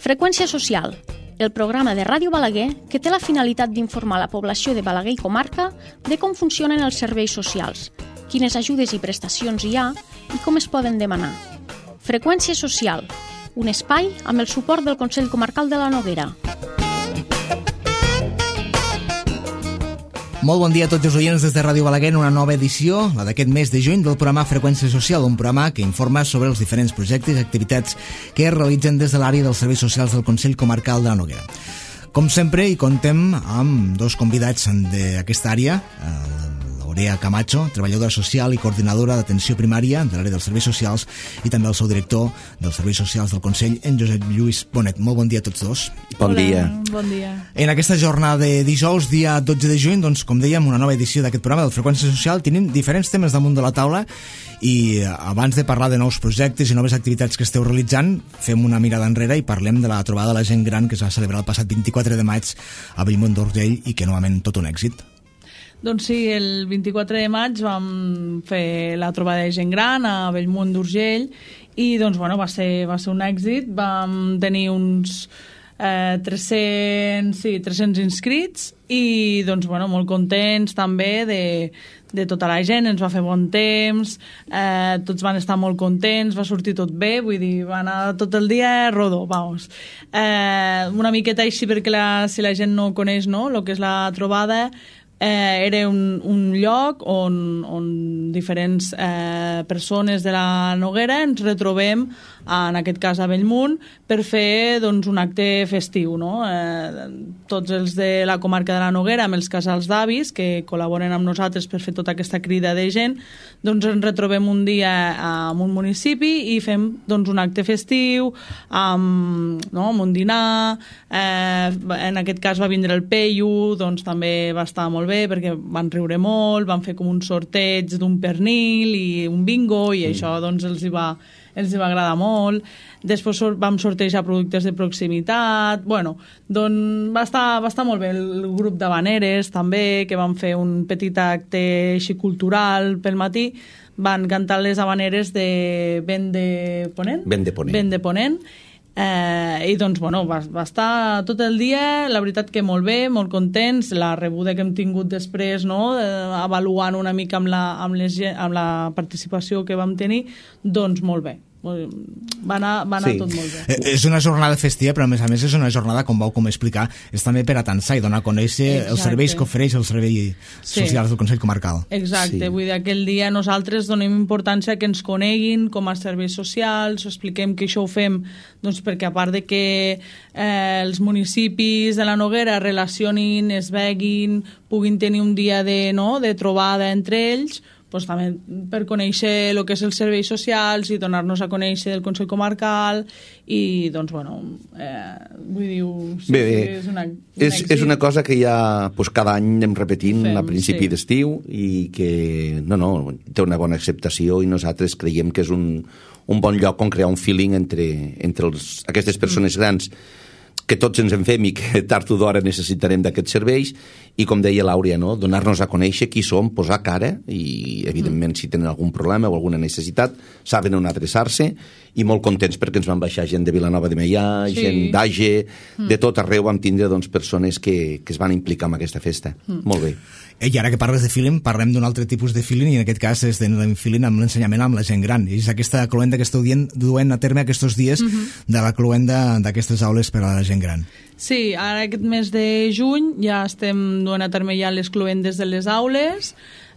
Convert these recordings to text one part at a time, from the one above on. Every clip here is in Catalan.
Freqüència Social, el programa de Ràdio Balaguer que té la finalitat d'informar la població de Balaguer i comarca de com funcionen els serveis socials, quines ajudes i prestacions hi ha i com es poden demanar. Freqüència Social, un espai amb el suport del Consell Comarcal de la Noguera. Molt bon dia a tots els oients des de Ràdio Balaguer en una nova edició, la d'aquest mes de juny, del programa Freqüència Social, un programa que informa sobre els diferents projectes i activitats que es realitzen des de l'àrea dels serveis socials del Consell Comarcal de la Noguera. Com sempre, hi contem amb dos convidats d'aquesta àrea, Aurea Camacho, treballadora social i coordinadora d'atenció primària de l'àrea dels serveis socials, i també el seu director dels serveis socials del Consell, en Josep Lluís Bonet. Molt bon dia a tots dos. Bon dia. Bon dia. En aquesta jornada de dijous, dia 12 de juny, doncs, com dèiem, una nova edició d'aquest programa de Freqüència Social. Tenim diferents temes damunt de la taula i abans de parlar de nous projectes i noves activitats que esteu realitzant, fem una mirada enrere i parlem de la trobada de la gent gran que es va celebrar el passat 24 de maig a Bellmunt d'Urgell i que novament tot un èxit. Doncs sí, el 24 de maig vam fer la trobada de gent gran a Bellmunt d'Urgell i doncs, bueno, va ser un èxit. Vam tenir uns 300 inscrits i doncs, bueno, molt contents també de tota la gent, ens va fer bon temps, tots van estar molt contents, va sortir tot bé, vull dir, va anar tot el dia rodó, vamos. Una miqueta així perquè si la gent no coneix, no?, el que és la trobada. Era un lloc on diferents persones de la Noguera ens retrobem, en aquest cas a Bellmunt, per fer doncs, un acte festiu, no? Tots els de la comarca de la Noguera, amb els casals d'avis, que col·laboren amb nosaltres per fer tota aquesta crida de gent, doncs ens retrobem un dia en un municipi i fem doncs, un acte festiu, amb un dinar. En aquest cas va vindre el Peyu, doncs també va estar molt bé perquè van riure molt, van fer com un sorteig d'un pernil i un bingo i això doncs, els hi va agradar molt. Després vam sortejar productes de proximitat. Bueno, doncs va estar molt bé el grup d'habaneres també, que van fer un petit acte així cultural pel matí. Van cantar les habaneres de Vent de Ponent. I doncs, bueno, va estar tot el dia, la veritat que molt bé, molt contents. La rebuda que hem tingut després, no?, avaluant una mica amb la participació que vam tenir, doncs molt bé. Va anar sí. Tot molt bé. És una jornada festiva, però a més és una jornada, com vau explicar, és també per atansar i donar a conèixer els serveis que ofereix el servei social del Consell Comarcal. Exacte, sí. Vull dir, aquell dia nosaltres donem importància que ens coneguin com a serveis socials, expliquem que això ho fem doncs, perquè a part de que els municipis de la Noguera relacionin, es veguin, puguin tenir un dia de trobada entre ells, doncs també per conèixer el que és els serveis socials i donar-nos a conèixer del Consell Comarcal i doncs, bueno, vull dir, sí, bé, és una cosa que ja cada any anem repetint a principi d'estiu i que té una bona acceptació i nosaltres creiem que és un bon lloc on crear un feeling entre aquestes persones grans que tots ens en fem i que tard o d'hora necessitarem d'aquests serveis i, com deia l'Àurea, no?, donar-nos a conèixer qui som, posar cara i, evidentment, si tenen algun problema o alguna necessitat, saben on adreçar-se i molt contents perquè ens van baixar gent de Vilanova de Meià, gent d'Age, de tot arreu vam tindre doncs, persones que es van implicar en aquesta festa. Molt bé. I ara que parles de feeling, parlem d'un altre tipus de feeling i en aquest cas és de feeling amb l'ensenyament amb la gent gran. I és aquesta cloenda que esteu duent a terme aquests dies de la cloenda d'aquestes aules per a la gent gran. Sí, ara aquest mes de juny ja estem duent a terme ja les cloendes de les aules.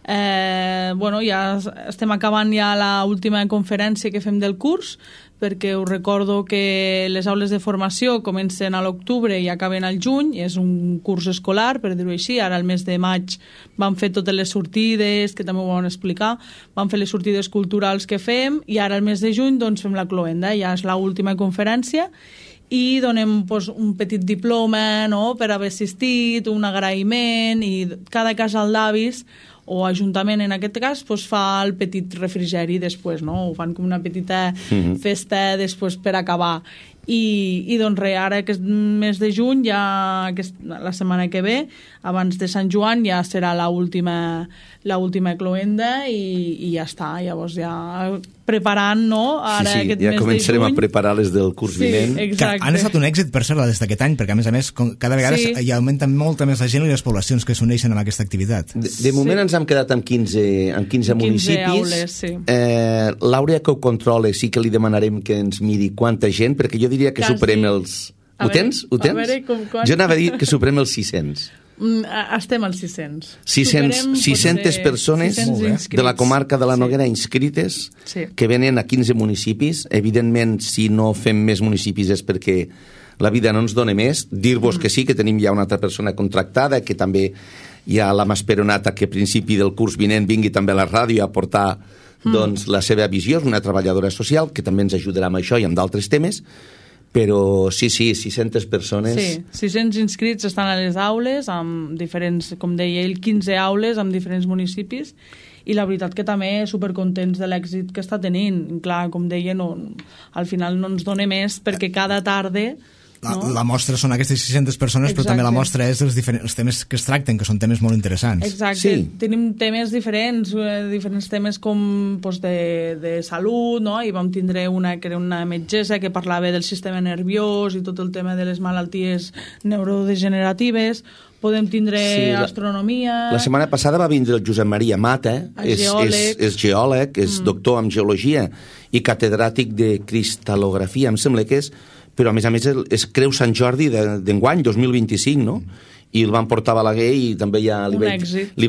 Ja estem acabant ja l'última conferència que fem del curs, perquè us recordo que les aules de formació comencen a l'octubre i acaben al juny, és un curs escolar, per dir-ho així. Ara al mes de maig vam fer totes les sortides, que també ho vam explicar, vam fer les sortides culturals que fem, i ara al mes de juny doncs, fem la cloenda, ja és l'última conferència, i donem un petit diploma, no?, per haver assistit, un agraïment, i cada casal d'avis o Ajuntament en aquest cas, doncs fa el petit refrigeri després, no? Ho fan com una petita festa després per acabar. I doncs res, ara aquest mes de juny, ja la setmana que ve, abans de Sant Joan, ja serà l'última cloenda i ja està. Llavors ja preparant, no? Ara sí, aquest ja mes començarem de juny. a preparar les del curs vinent. Exacte. Han estat un èxit, per cert, les d'aquest any, perquè a més, cada vegada hi augmenta molta més la gent i les poblacions que s'uneixen amb aquesta activitat. De moment ens hem quedat amb 15 municipis. Aules, sí. L'Àurea que ho controla sí que li demanarem que ens miri quanta gent, perquè jo diria que superem els... Ho tens? Ho tens? Jo anava a dir que superem els 600. Estem als 600. 600 persones de la comarca de la Noguera inscrites que venen a 15 municipis. Evidentment, si no fem més municipis és perquè la vida no ens dona més. Dir-vos que sí, que tenim ja una altra persona contractada, que també hi ha la Masperonata que a principi del curs vinent vingui també a la ràdio a portar doncs, la seva visió. És una treballadora social que també ens ajudarà amb això i amb d'altres temes. Però sí, 600 persones... Sí, 600 inscrits estan a les aules, amb diferents, com deia ell, 15 aules amb diferents municipis, i la veritat que també supercontents de l'èxit que està tenint. Clar, com deia, al final no ens dona més, perquè cada tarda... La mostra són aquestes 600 persones, però també la mostra és els temes que es tracten, que són temes molt interessants. Exacte, tenim temes diferents temes com de salut, no? I vam tindre que era una metgessa que parlava del sistema nerviós i tot el tema de les malalties neurodegeneratives. Podem tindre astronomia... La setmana passada va vindre el Josep Maria Mata, és geòleg, és doctor en geologia i catedràtic de cristal·lografia, em sembla que és, però a més és Creu Sant Jordi d'enguany, 2025, no? I el van portar a Balaguer i també ja li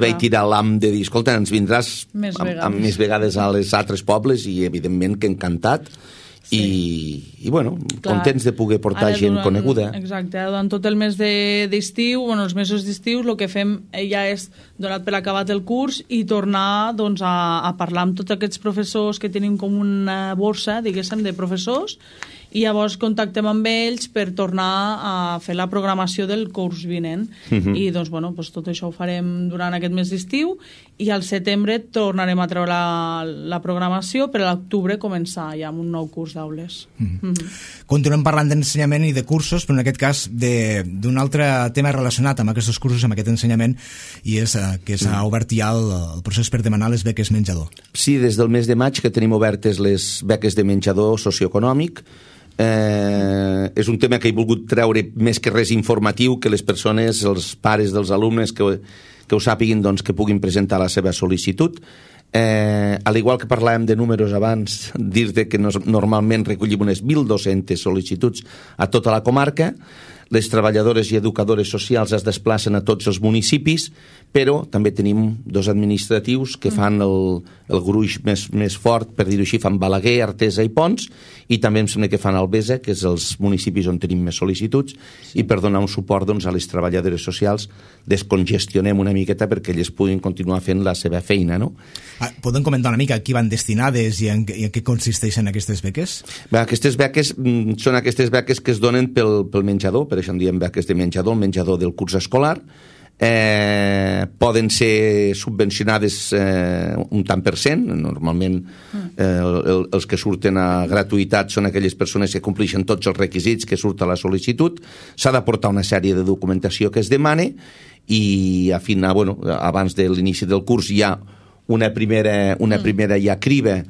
vaig tirar l'am de dir, escolta, ens vindràs més vegades a les altres pobles i evidentment que encantat. I bueno, contents de poder portar gent coneguda. Exacte, durant tot el mes d'estiu, els mesos d'estiu, el que fem ja és, donat per acabat el curs, i tornar a parlar amb tots aquests professors que tenim com una borsa, diguéssim, de professors, i llavors contactem amb ells per tornar a fer la programació del curs vinent. I doncs, tot això ho farem durant aquest mes d'estiu, i al setembre tornarem a treure la programació per a l'octubre començar ja amb un nou curs d'aules. Continuem parlant d'ensenyament i de cursos, però en aquest cas d'un altre tema relacionat amb aquests cursos, amb aquest ensenyament, i és que s'ha obert ja el procés per demanar les beques menjador. Sí, des del mes de maig que tenim obertes les beques de menjador socioeconòmic. És un tema que he volgut treure més que res informatiu, que les persones, els pares dels alumnes que ho sàpiguin, doncs, que puguin presentar la seva sol·licitud. Al igual que parlàvem de números abans, dir-te que normalment recollim unes 1.200 sol·licituds a tota la comarca. Les treballadores i educadores socials es desplacen a tots els municipis, però també tenim dos administratius que fan el gruix més fort, per dir-ho així, fan Balaguer, Artesa i Pons, i també em sembla que fan Albesa, que és els municipis on tenim més sol·licituds, i per donar un suport a les treballadores socials descongestionem una miqueta perquè elles puguin continuar fent la seva feina, no? Podem comentar una mica a qui van destinades i en què consisteixen aquestes beques? Aquestes beques són aquestes beques que es donen pel menjador, per això en diem beques de menjador, el menjador del curs escolar. Poden ser subvencionades un tant per cent. Normalment els que surten a gratuïtat són aquelles persones que compleixen tots els requisits que surt a la sol·licitud. S'ha d'aportar una sèrie de documentació que es demana i abans de l'inici del curs hi ha una primera ja criba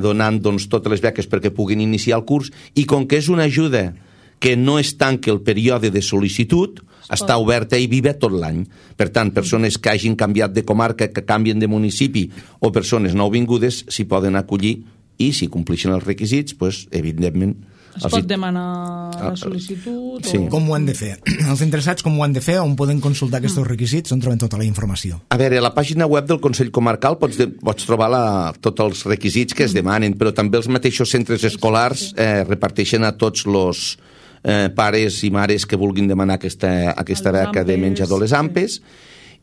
donant totes les beques perquè puguin iniciar el curs, i com que és una ajuda que no es tanca el període de sol·licitud, està oberta i viva tot l'any. Per tant, persones que hagin canviat de comarca, que canvien de municipi, o persones nouvingudes s'hi poden acollir, i si compleixen els requisits, evidentment... Es pot demanar la sol·licitud? Sí. Com ho han de fer? Els interessats com ho han de fer? On poden consultar aquests requisits? On troben tota la informació? A veure, a la pàgina web del Consell Comarcal pots trobar tots els requisits que es demanen, però també els mateixos centres escolars reparteixen a tots els pares i mares que vulguin demanar aquesta beca de menjador, les AMPEs,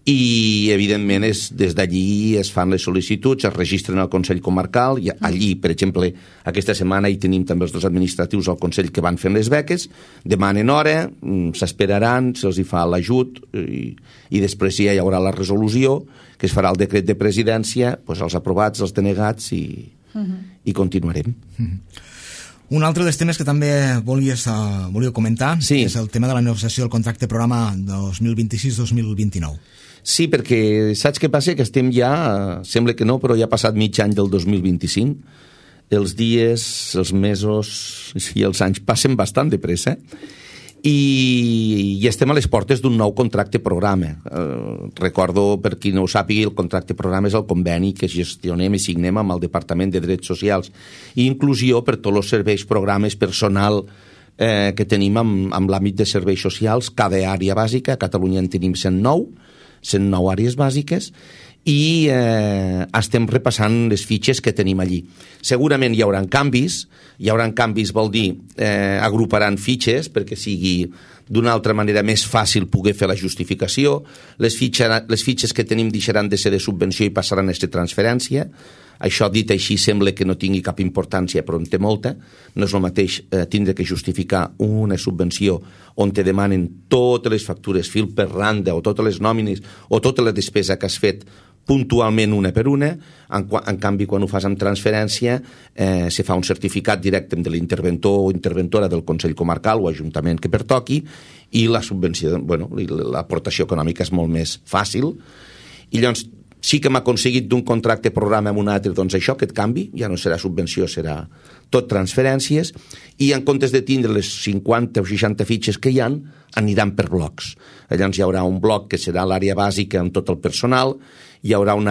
i evidentment des d'allí es fan les sol·licituds, es registren al Consell Comarcal i allí, per exemple, aquesta setmana hi tenim també els dos administratius al Consell que van fent les beques, demanen hora, s'esperaran, se'ls hi fa l'ajut i després ja hi haurà la resolució que es farà el decret de presidència, doncs els aprovats, els denegats i continuarem. Un altre dels temes que també volíeu comentar és el tema de la negociació del contracte programa 2026-2029. Sí, perquè saps què passa? Que estem ja, sembla que no, però ja ha passat mig any del 2025. Els dies, els mesos i els anys passen bastant de pressa i estem a les portes d'un nou contracte programa. Recordo, per qui no ho sàpiga, el contracte programa és el conveni que gestionem i signem amb el Departament de Drets Socials i Inclusió per tots els serveis, programes, personal que tenim amb l'àmbit de serveis socials. Cada àrea bàsica, a Catalunya en tenim 109 àrees bàsiques i estem repassant les fitxes que tenim allí. Segurament hi haurà canvis vol dir agruparan fitxes perquè sigui d'una altra manera més fàcil poder fer la justificació. Les fitxes que tenim deixaran de ser de subvenció i passaran a ser transferència. Això dit així sembla que no tingui cap importància, però en té molta. No és el mateix tindre que justificar una subvenció on te demanen totes les factures fil per randa o totes les nòmines o tota la despesa que has fet puntualment una per una. En canvi, quan ho fas amb transferència, se fa un certificat directe de l'interventor o interventora del Consell Comarcal o Ajuntament que pertoqui i la subvenció, l'aportació econòmica és molt més fàcil. I llavors sí que hem aconseguit d'un contracte programa amb un altre, doncs això, aquest canvi, ja no serà subvenció, serà tot transferències, i en comptes de tindre les 50 o 60 fitxes que hi ha, aniran per blocs. Llavors hi haurà un bloc que serà l'àrea bàsica amb tot el personal, hi haurà un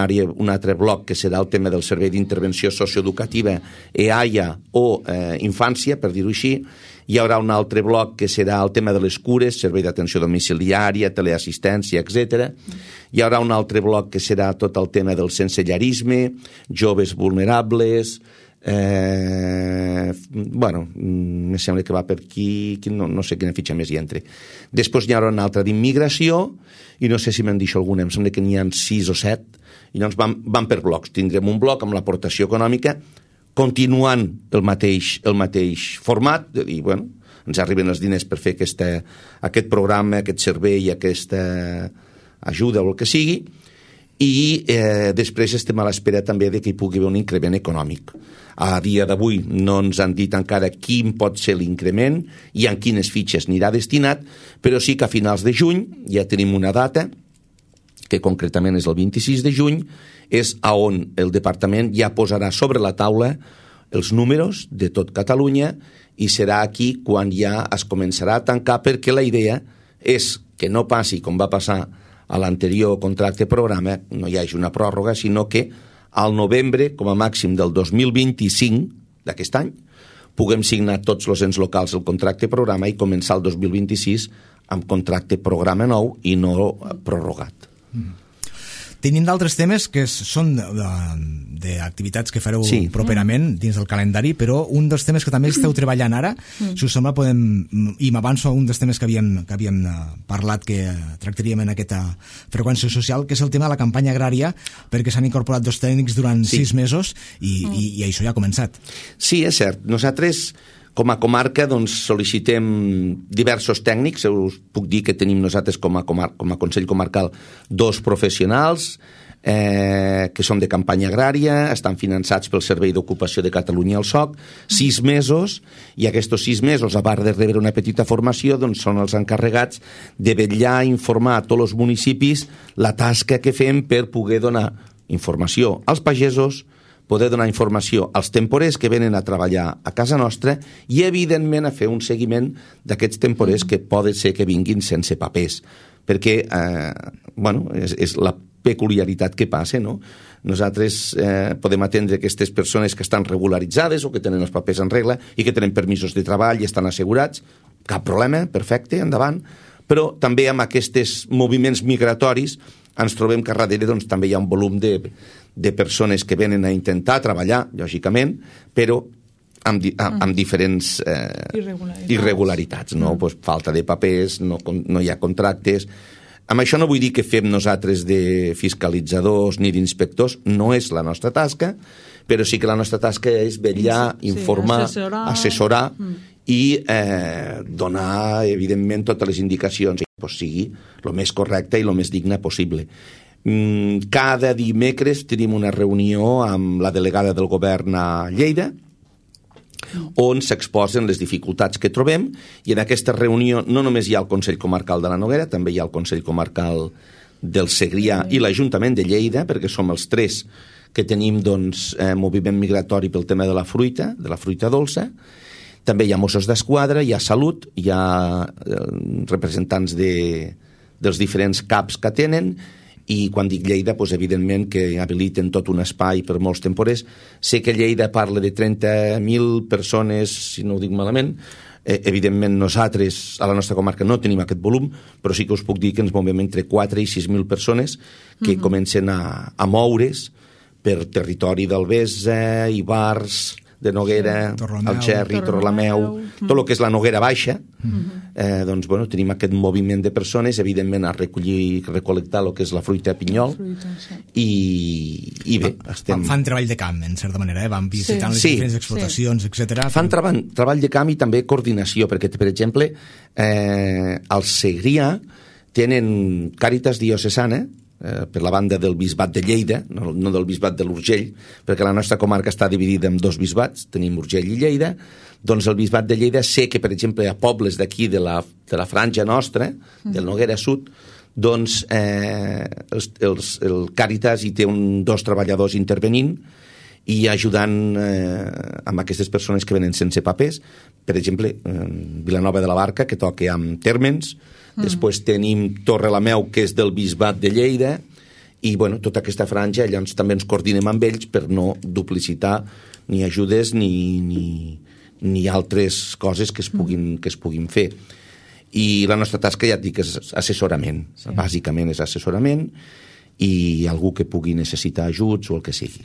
altre bloc que serà el tema del servei d'intervenció socioeducativa, EAIA o infància, per dir-ho així, hi haurà un altre bloc que serà el tema de les cures, servei d'atenció domiciliària, teleassistència, etc. Hi haurà un altre bloc que serà tot el tema del sensellarisme, joves vulnerables, me sembla que va per aquí, no sé quina fitxa més hi entra. Després hi haurà una altra d'immigració, i no sé si me'n deixo alguna, em sembla que n'hi ha 6 o 7, i llavors van per blocs. Tindrem un bloc amb l'aportació econòmica, continuant el mateix format, de dir, ens arriben els diners per fer aquest programa, aquest servei, aquesta ajuda o el que sigui, i després estem a l'espera també de que hi pugui haver un increment econòmic. A dia d'avui no ens han dit encara quin pot ser l'increment i en quines fitxes anirà destinat, però sí que a finals de juny ja tenim una data, que concretament és el 26 de juny, és on el departament ja posarà sobre la taula els números de tot Catalunya i serà aquí quan ja es començarà a tancar, perquè la idea és que no passi com va passar a l'anterior contracte programa, no hi hagi una pròrroga, sinó que al novembre, com a màxim del 2025 d'aquest any, puguem signar tots els ens locals el contracte programa i començar el 2026 amb contracte programa nou i no prorrogat. Tenim d'altres temes que són d'activitats que fareu properament dins del calendari, però un dels temes que també esteu treballant ara, si us sembla i m'avanço a un dels temes que havíem parlat que tractaríem en aquesta freqüència social, que és el tema de la campanya agrària, perquè s'han incorporat 2 tècnics durant 6 mesos i això ja ha començat. Sí, és cert. Nosaltres, com a comarca, sol·licitem diversos tècnics. Us puc dir que tenim nosaltres com a Consell Comarcal 2 professionals que són de campanya agrària, estan finançats pel Servei d'Ocupació de Catalunya, el SOC, 6 mesos, i aquests 6 mesos, a part de rebre una petita formació, són els encarregats de vetllar, informar a tots els municipis la tasca que fem per poder donar informació als pagesos, poder donar informació als temporers que venen a treballar a casa nostra i, evidentment, a fer un seguiment d'aquests temporers que poden ser que vinguin sense papers, perquè és la peculiaritat que passa, no? Nosaltres podem atendre aquestes persones que estan regularitzades o que tenen els papers en regla i que tenen permisos de treball i estan assegurats, cap problema, perfecte, endavant, però també amb aquests moviments migratoris ens trobem que darrere també hi ha un volum de persones que venen a intentar treballar, lògicament, però amb diferents irregularitats, no? Falta de papers, no hi ha contractes, Amb això no vull dir que fem nosaltres de fiscalitzadors ni d'inspectors, no és la nostra tasca, però sí que la nostra tasca és vetllar, informar, assessorar i donar, evidentment, totes les indicacions que sigui el més correcte i el més digne possible. Cada dimecres tenim una reunió amb la delegada del govern a Lleida, on s'exposen les dificultats que trobem, i en aquesta reunió no només hi ha el Consell Comarcal de la Noguera, també hi ha el Consell Comarcal del Segrià i l'Ajuntament de Lleida, perquè som els tres que tenim moviment migratori pel tema de la fruita dolça. També hi ha Mossos d'Esquadra, hi ha Salut, hi ha representants dels diferents CAPs que tenen, i quan dic Lleida, evidentment que habiliten tot un espai per molts temporers. Sé que Lleida parla de 30.000 persones, si no ho dic malament. Evidentment nosaltres a la nostra comarca no tenim aquest volum, però sí que us puc dir que ens movem entre 4 i 6.000 persones que comencen a moure's per territori d'Albesa, Ivars, de Noguera, Algerri, Torrelameu, tot el que és la Noguera Baixa. Tenim aquest moviment de persones, evidentment a recol·lectar el que és la fruita a pinyol, i bé, estem... Fan treball de camp, en certa manera, van visitant les diferents explotacions, etc. Fan treball de camp i també coordinació, perquè, per exemple, al Segrià tenen Càritas Diocesana, per la banda del bisbat de Lleida, no del bisbat de l'Urgell, perquè la nostra comarca està dividida en 2 bisbats, tenim Urgell i Lleida. Doncs el bisbat de Lleida sé que, per exemple, a pobles d'aquí de la franja nostra, del Noguera Sud, doncs el Càritas hi té 2 treballadors intervenint i ajudant amb aquestes persones que venen sense papers. Per exemple, Vilanova de la Barca, que toca amb tèrmens. Després tenim Torrelameu, que és del bisbat de Lleida, i tota aquesta franja, llavors també ens coordinem amb ells per no duplicitar ni ajudes ni altres coses que es puguin fer. I la nostra tasca, ja et dic, és assessorament. Bàsicament és assessorament i algú que pugui necessitar ajuts o el que sigui.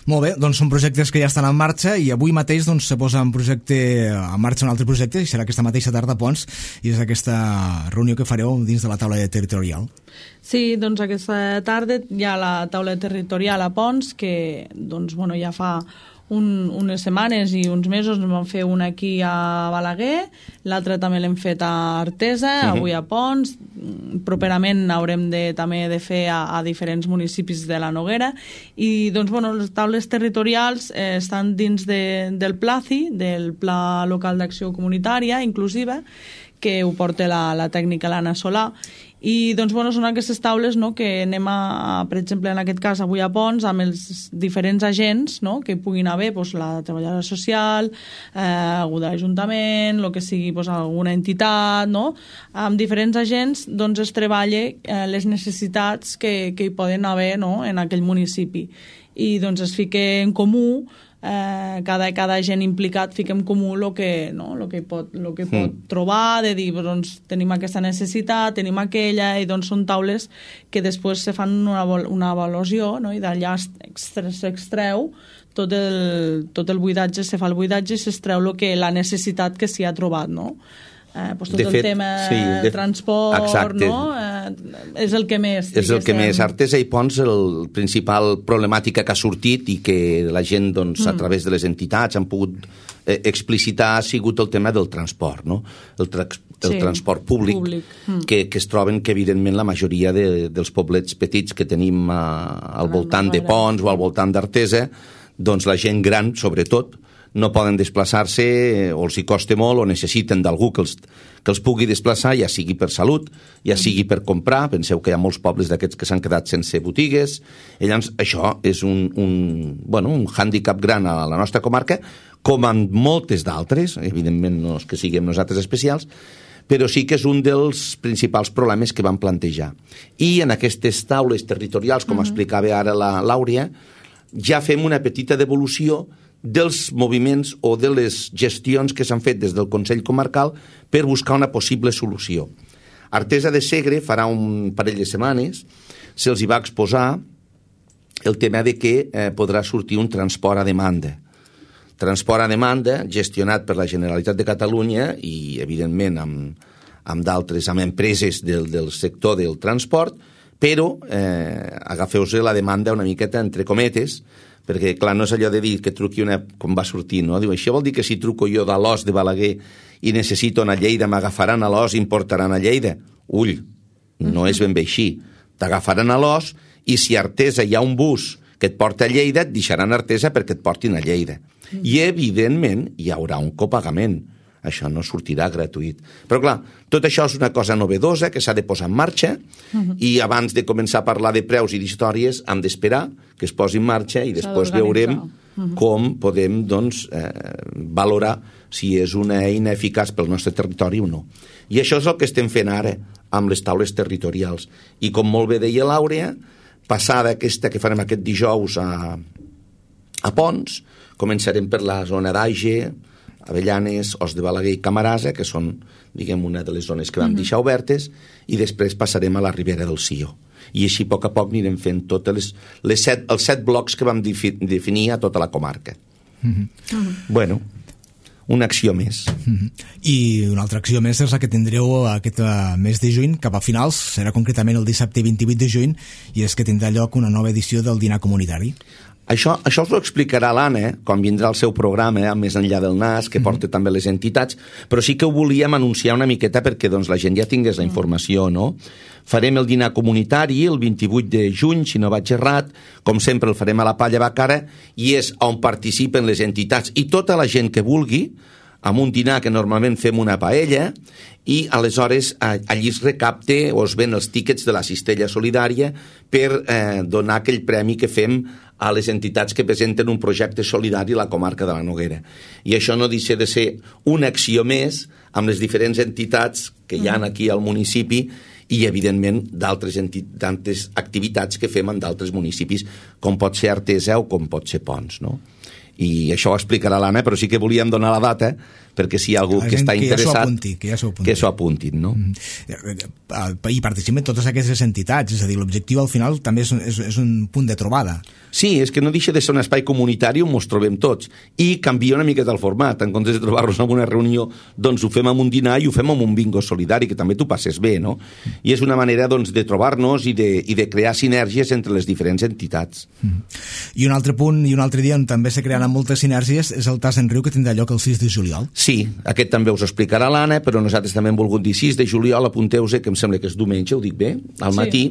Molt bé, doncs són projectes que ja estan en marxa, i avui mateix se posa en marxa un altre projecte, i serà aquesta mateixa tarda a Ponts, i és aquesta reunió que fareu dins de la taula territorial. Sí, doncs aquesta tarda hi ha la taula territorial a Ponts, que ja fa unes setmanes i uns mesos en vam fer una aquí a Balaguer, l'altra també l'hem fet a Artesa, avui a Ponts, properament haurem també de fer a diferents municipis de la Noguera, i les taules territorials estan dins del PLACI, del Pla Local d'Acció Comunitària Inclusiva, que ho porta la tècnica l'Anna Solà, i són aquestes taules que anem per exemple, en aquest cas avui a Ponts, amb els diferents agents que puguin haver, la treballadora social, algú de l'Ajuntament, el que sigui alguna entitat, amb diferents agents es treballa les necessitats que hi poden haver en aquell municipi, i es fica en comú, cada agent implicat fica en comú el que pot trobar, de dir, tenim aquesta necessitat, tenim aquella, i són taules que després se fan una avaluació, i d'allà s'extreu tot el buidatge, se fa el buidatge i s'extreu la necessitat que s'hi ha trobat, tot el tema transport, és el que més. És el que més. Artesa i Ponts, el principal problemàtica que ha sortit i que la gent, a través de les entitats, han pogut explicitar, ha sigut el tema del transport, el transport públic. Que es troben que, evidentment, la majoria dels poblets petits que tenim al voltant de Ponts o al voltant d'Artesa, la gent gran, sobretot, no poden desplaçar-se, o els hi costa molt, o necessiten d'algú que els pugui desplaçar, ja sigui per salut, ja sigui per comprar. Penseu que hi ha molts pobles d'aquests que s'han quedat sense botigues. Llavors, això és un hàndicap gran a la nostra comarca, com en moltes d'altres, evidentment no és que siguem nosaltres especials, però sí que és un dels principals problemes que vam plantejar. I en aquestes taules territorials, com explicava ara la Làuria, ja fem una petita devolució dels moviments o de les gestions que s'han fet des del Consell Comarcal per buscar una possible solució. Artesa de Segre farà un parell de setmanes, se'ls hi va exposar el tema de que podrà sortir un transport a demanda. Transport a demanda gestionat per la Generalitat de Catalunya i, evidentment, amb d'altres, amb empreses del sector del transport, però agafeu-se la demanda una miqueta entre cometes, perquè, clar, no és allò de dir que truqui com va sortir, no? Diu, això vol dir que si truco jo de l'Os de Balaguer i necessito anar a Lleida, m'agafaran a l'Os i em portaran a Lleida? Ull, no és ben bé així. T'agafaran a l'Os i si a Artesa hi ha un bus que et porta a Lleida, et deixaran a Artesa perquè et portin a Lleida. I, evidentment, hi haurà un copagament. Això no sortirà gratuït. Però, clar, tot això és una cosa novedosa que s'ha de posar en marxa i abans de començar a parlar de preus i d'històries hem d'esperar que es posi en marxa i després veurem com podem, doncs, valorar si és una eina eficaç pel nostre territori o no. I això és el que estem fent ara amb les taules territorials. I com molt bé deia l'Àurea, passada aquesta que farem aquest dijous a Pons, començarem per la zona d'Age, Avellanes, Os de Balaguer i Camarasa, que són, diguem, una de les zones que vam deixar obertes, i després passarem a la Ribera del Sió. I així, a poc anirem fent tots els 7 blocs que vam definir a tota la comarca. Bueno, una acció més. I una altra acció més és la que tindreu aquest mes de juny, cap a finals, serà concretament el dissabte 28 de juny, i és que tindrà lloc una nova edició del dinar comunitari. Això us ho explicarà l'Anna quan vindrà el seu programa Més enllà del nas, que porta també les entitats, però sí que ho volíem anunciar una miqueta perquè doncs, la gent ja tingués la informació, no? Farem el dinar comunitari el 28 de juny, si no vaig errat, com sempre el farem a la Palla Bacara, i és on participen les entitats i tota la gent que vulgui, amb un dinar que normalment fem una paella, i aleshores allí es recapte o es ven els tíquets de la cistella solidària per donar aquell premi que fem a les entitats que presenten un projecte solidari a la comarca de la Noguera. I això no deixa de ser una acció més amb les diferents entitats que hi ha aquí al municipi i, evidentment, d'altres activitats que fem en d'altres municipis, com pot ser Artesa o com pot ser Pons, no? I això ho explicarà l'Anna, però sí que volíem donar la data perquè si hi ha algú que està interessat que s'ho apuntin, no? I participen totes aquestes entitats, és a dir, l'objectiu al final també és un punt de trobada. Sí, és que no deixa de ser un espai comunitari on ens trobem tots i canvia una miqueta el format, en comptes de trobar-nos en una reunió, doncs ho fem amb un dinar i ho fem amb un bingo solidari, que també t'ho passes bé, no? I és una manera, doncs, de trobar-nos i de crear sinergies entre les diferents entitats. I un altre punt i un altre dia on també se crearan moltes sinergies és el Tas en Riu, que tindrà lloc el 6 de juliol. Sí, aquest també us explicarà l'Anna, però nosaltres també hem volgut dir 6 de juliol, apunteu-se, que em sembla que és diumenge, ho dic bé, al matí,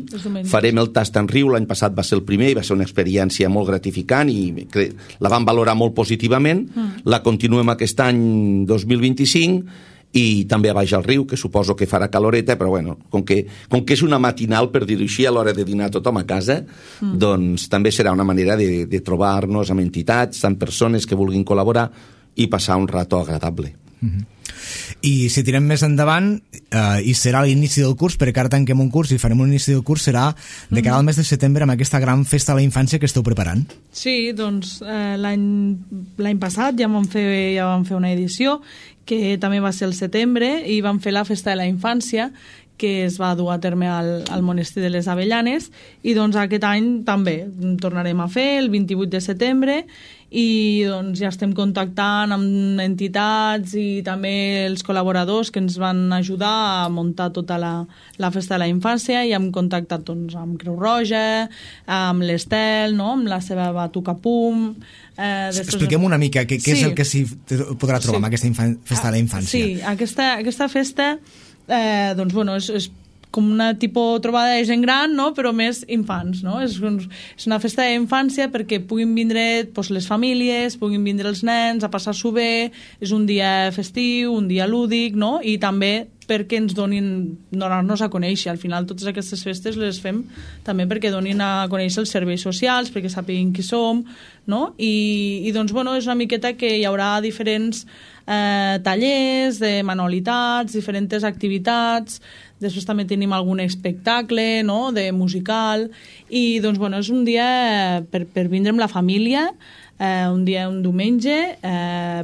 farem el Tast en Riu, l'any passat va ser el primer i va ser una experiència molt gratificant i la vam valorar molt positivament, la continuem aquest any 2025 i també a Baix al Riu, que suposo que farà caloreta, però bueno, com que és una matinal, per dir-ho així, a l'hora de dinar tothom a casa, doncs també serà una manera de trobar-nos amb entitats, amb persones que vulguin col·laborar i passar un rato agradable. I si tirem més endavant, i serà l'inici del curs, perquè ara tanquem un curs i farem un inici del curs, serà de cara al mes de setembre amb aquesta gran festa de la infància que esteu preparant. Sí, doncs l'any passat ja vam fer una edició que també va ser el setembre i vam fer la festa de la infància que es va dur a terme al monestir de les Avellanes i doncs aquest any també tornarem a fer el 28 de setembre i doncs ja estem contactant amb entitats i també els col·laboradors que ens van ajudar a muntar tota la festa de la infància i hem contactat doncs, amb Creu Roja, amb l'Estel, no? Amb la seva Batuca Pum. Expliquem una mica què és el que s'hi podrà trobar amb aquesta festa de la infància. Sí, aquesta festa doncs, bueno, és com una tipus trobada de gent gran, no? Però més infants, no? És una festa d'infància perquè puguin vindre doncs, les famílies, puguin vindre els nens a passar-s'ho bé, és un dia festiu, un dia lúdic, no? I també perquè ens donar-nos a conèixer. Al final totes aquestes festes les fem també perquè donin a conèixer els serveis socials, perquè sàpiguin qui som, no? I doncs, bueno, és una miqueta que hi haurà diferents tallers de manualitats, diferents activitats, després també tenim algun espectacle, no?, de musical, i doncs, bueno, és un dia per vindre amb la família, un diumenge,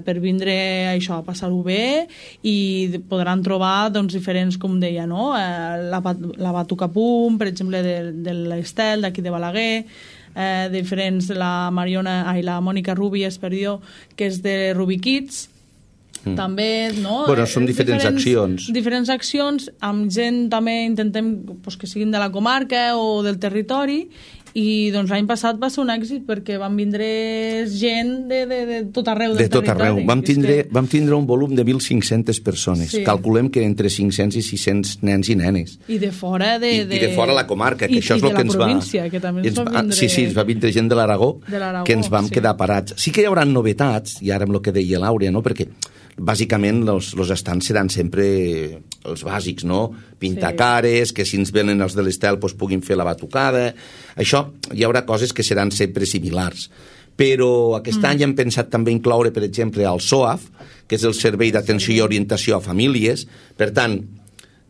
per vindre això, a passar-ho bé, i podran trobar doncs, diferents, com deia, no? La Batuca Pum, per exemple, de l'Estel, d'aquí de Balaguer, diferents, la Mònica Rubies, que és de Ruby Kids, també, no? Bueno, són diferents accions. Diferents accions, amb gent també intentem que siguin de la comarca o del territori, i doncs l'any passat va ser un èxit perquè van vindre gent de tot arreu del territori. De tot arreu. Vam tindre un volum de 1.500 persones. Sí. Calculem que entre 500 i 600 nens i nenes. I de fora I de fora la comarca, que això és el que ens va... I de la província, que també ens va vindre... Sí, ens va vindre gent de l'Aragó, que ens vam quedar parats. Sí que hi haurà novetats, i ara amb el que deia l'Àurea, no? Perquè bàsicament els estants seran sempre els bàsics, no? Pintar cares, que si ens venen els de l'Estel puguin fer la batucada. Això, hi haurà coses que seran sempre similars. Però aquest any hem pensat també incloure, per exemple, el SOAF, que és el Servei d'Atenció i Orientació a Famílies. Per tant,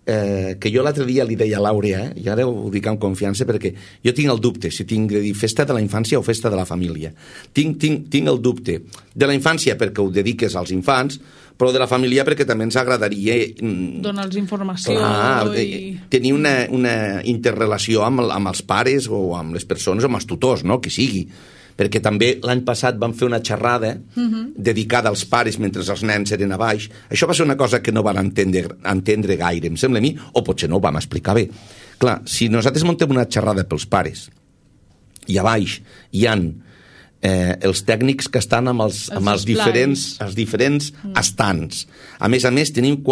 que jo l'altre dia li deia a l'Àurea, i ara ho dic amb confiança perquè jo tinc el dubte si tinc de dir festa de la infància o festa de la família. Tinc el dubte de la infància perquè ho dediques als infants, però de la família perquè també ens agradaria donar-los informació tenir una interrelació amb els pares o amb les persones o amb els tutors, no? Que sigui. Perquè també l'any passat vam fer una xerrada dedicada als pares mentre els nens eren a baix. Això va ser una cosa que no van entendre gaire, em sembla a mi, o potser no ho vam explicar bé. Clar, si nosaltres montem una xerrada pels pares i a baix hi han els tècnics que estan amb els diferents estants. A més, tenim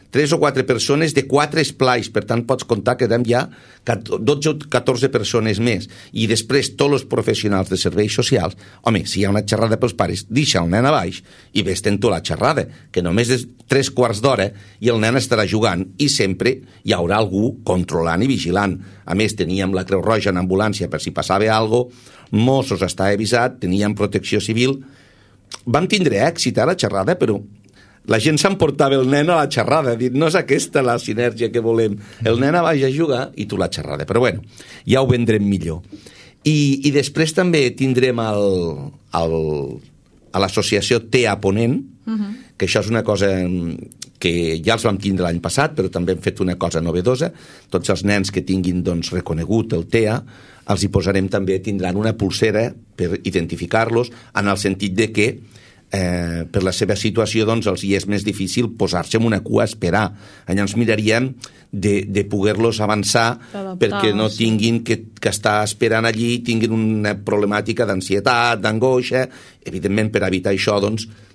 3 o 4 persones de 4 esplais, per tant pots comptar que érem ja 12 o 14 persones més. I després tots els professionals de serveis socials, home, si hi ha una xerrada pels pares, deixa el nen a baix i vés-te'n tu la xerrada, que només és 3/4 d'hora i el nen estarà jugant i sempre hi haurà algú controlant i vigilant. A més, teníem la Creu Roja en ambulància per si passava alguna cosa, Mossos estava avisat, teníem protecció civil. Vam tindre èxit a la xerrada, però la gent s'emportava el nen a la xerrada, dit, no és aquesta la sinergia que volem. El nen a baix a jugar i tu la xerrada. Però bueno, ja ho vendrem millor. I després també tindrem a l'associació TEA Ponent, que això és una cosa que ja els vam tindre l'any passat, però també hem fet una cosa novedosa. Tots els nens que tinguin reconegut el TEA, els hi posarem també, tindran una pulsera per identificar-los, en el sentit de que per la seva situació els hi és més difícil posar-se en una cua a esperar. Llavors miraríem de poder-los avançar perquè no tinguin que estar esperant allí, tinguin una problemàtica d'ansietat, d'angoixa. Evidentment, per evitar això,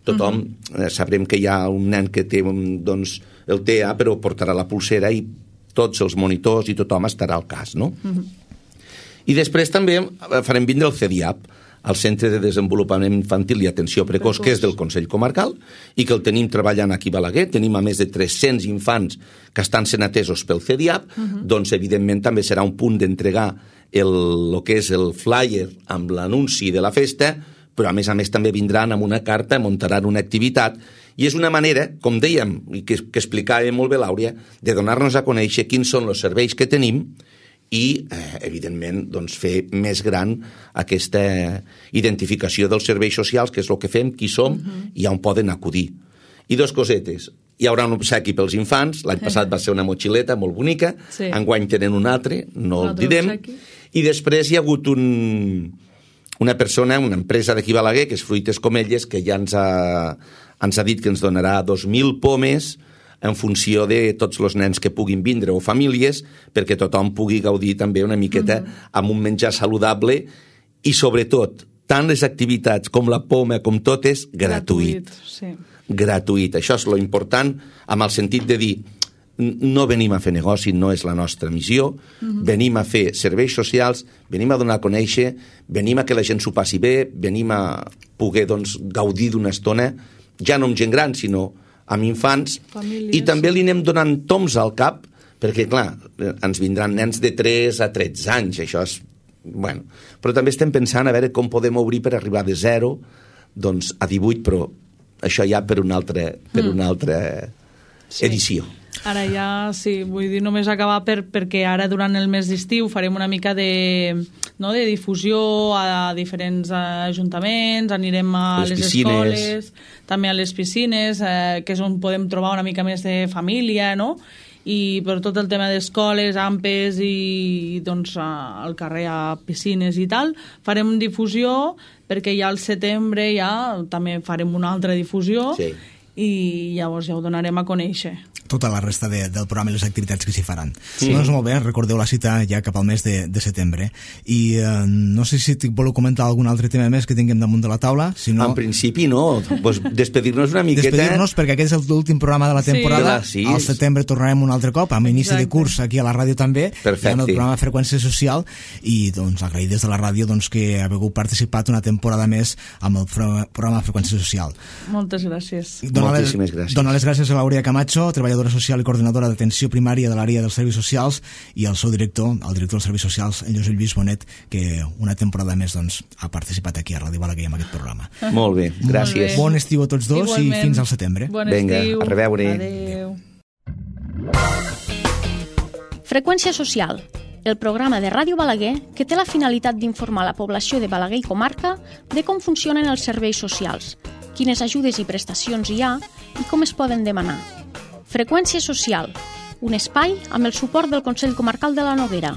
tothom sabrem que hi ha un nen que té el TEA, però portarà la pulsera i tots els monitors i tothom estarà al cas, no? I després també farem vindre el CEDIAP, el Centre de Desenvolupament Infantil i Atenció Precoç, que és del Consell Comarcal, i que el tenim treballant aquí a Balaguer. Tenim a més de 300 infants que estan sent atesos pel CEDIAP, doncs evidentment també serà un punt d'entregar el que és el flyer amb l'anunci de la festa, però a més també vindran amb una carta, muntaran una activitat, i és una manera, com dèiem, i que explicava molt bé l'Àurea, de donar-nos a conèixer quins són els serveis que tenim i, evidentment, fer més gran aquesta identificació dels serveis socials, que és el que fem, qui som i on poden acudir. I 2 cosetes. Hi haurà un obsequi pels infants, l'any passat va ser una motxileta molt bonica, enguany tenen un altre, no el direm, i després hi ha hagut una persona, una empresa d'aquí a Balaguer, que és Fruites Comelles, que ja ens ha dit que ens donarà 2.000 pomes en funció de tots els nens que puguin vindre o famílies, perquè tothom pugui gaudir també una miqueta amb un menjar saludable i, sobretot, tant les activitats com la poma, com totes, gratuït. Gratuït. Això és lo important, amb el sentit de dir no venim a fer negoci, no és la nostra missió, venim a fer serveis socials, venim a donar a conèixer, venim a que la gent s'ho passi bé, venim a poder gaudir d'una estona, ja no amb gent gran, sinó amb infants, famílies. I també li anem donant toms al cap, perquè, clar, ens vindran nens de 3 a 13 anys, això és... Bueno, però també estem pensant a veure com podem obrir per arribar de 0 a 18, però això ja per una altra edició. Ara ja, sí, vull dir, només acabar perquè ara durant el mes d'estiu farem una mica de difusió a diferents ajuntaments, anirem a les escoles, també a les piscines, que és on podem trobar una mica més de família, no? I per tot el tema d'escoles, AMPEs i al carrer a piscines i tal, farem difusió perquè ja al setembre ja també farem una altra difusió. Sí. i llavors ja ho donarem a conèixer. Tota la resta del programa i les activitats que s'hi faran. Doncs molt bé, recordeu la cita ja cap al mes de setembre. I no sé si voleu comentar algun altre tema més que tinguem damunt de la taula. Si no... En principi no, pues despedir-nos una miqueta. Despedir-nos perquè aquest és l'últim programa de la temporada. Sí. Al setembre tornarem un altre cop, amb inici de curs aquí a la ràdio també. Perfecte. En el programa Freqüència Social, i doncs agrair des de la ràdio que haveu participat una temporada més amb el programa Freqüència Social. Moltes gràcies. Moltíssimes gràcies. Donar les gràcies a l'Aurea Camacho, treballadora social i coordinadora d'atenció primària de l'àrea dels serveis socials, i al seu director, el director dels serveis socials, en Josep Lluís Bonet, que una temporada més ha participat aquí a Ràdio Balaguer amb aquest programa. Molt bé, gràcies. Bon estiu a tots dos. Igualment. I fins al setembre. Bon Vinga, estiu. a reveure. Adéu. Freqüència Social, el programa de Ràdio Balaguer que té la finalitat d'informar la població de Balaguer i comarca de com funcionen els serveis socials, quines ajudes i prestacions hi ha i com es poden demanar. Freqüència Social, un espai amb el suport del Consell Comarcal de la Noguera.